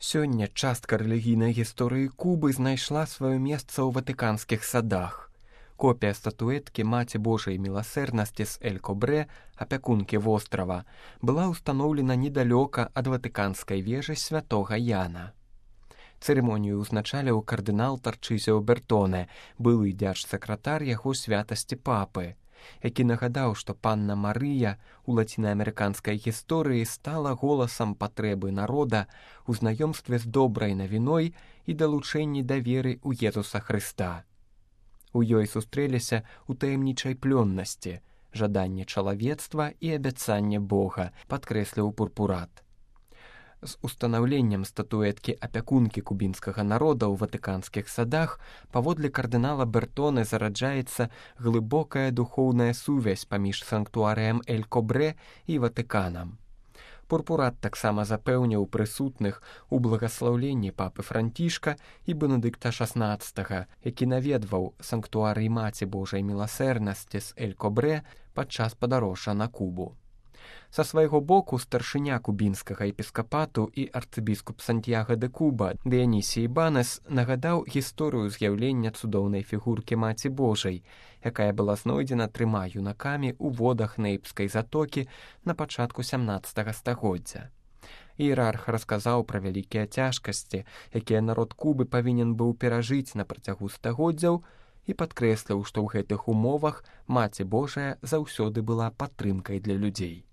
Сёння частка рэлігійнай гісторыі Кубы знайшла сваё месца ў ватыканскіх садах. Копія статуэткі Маці Божай міласэрнасці з Эль-Кобрэ, апякункі вострава, была ўстаноўлена недалёка ад ватыканскай вежы святога Яна. Цырымонію ўзначаліў кардынал Тарчызіо Бертоне, былы дзяржсакратар яго святасці папы, які нагадаў, што панна Марыя у лацінаамерыканскай гісторыі стала голасам патрэбы народа ў знаёмстве з добрай навіной і далучэнні да веры ў Езуса Хрыста. У ёй сустрэліся ў таямнічай плённасці, жаданне чалавецтва і абяцанне Бога, падкрэсліў пурпурат. З устанаўленнем статуэткі апякункі кубінскага народа ў ватыканскіх садах паводле кардынала Бертоне зараджаецца глыбокая духоўная сувязь паміж санктуарыем Эль-Кобрэ і Ватыканам. Пурпурат таксама запэўніў прысутных у благаслаўленні папы Францішка і Бенедыкта XVI, які наведваў санктуарый Маці Божай міласэрнасці з Эль-Кобрэ падчас падарожжа на Кубу. Са свайго боку старшыня кубінскага епіскапату і арцыбіскуп Сантьяго де Куба Дыянісій Банес нагадаў гісторыю з'яўлення цудоўнай фігуркі Маці Божай, якая была знойдзена 3 юнакамі ў водах Нейпскай затокі на пачатку 17 стагоддзя. Іерарх расказаў пра вялікія цяжкасці, якія народ Кубы павінен быў перажыць на працягу стагоддзяў, і падкрэсліў, што ў гэтых умовах Маці Божая заўсёды была падтрымкай для людзей.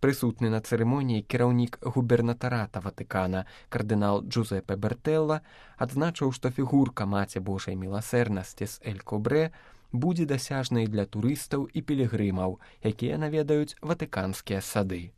Прысутны на цырымоніі кіраўнік губернатарата Ватыкана кардынал Джузепе Бертэлла адзначыў, што фігурка Маці Божай міласэрнасці з Эль-Кобрэ будзе дасяжнай для турыстаў і пілігрымаў, якія наведаюць ватыканскія сады.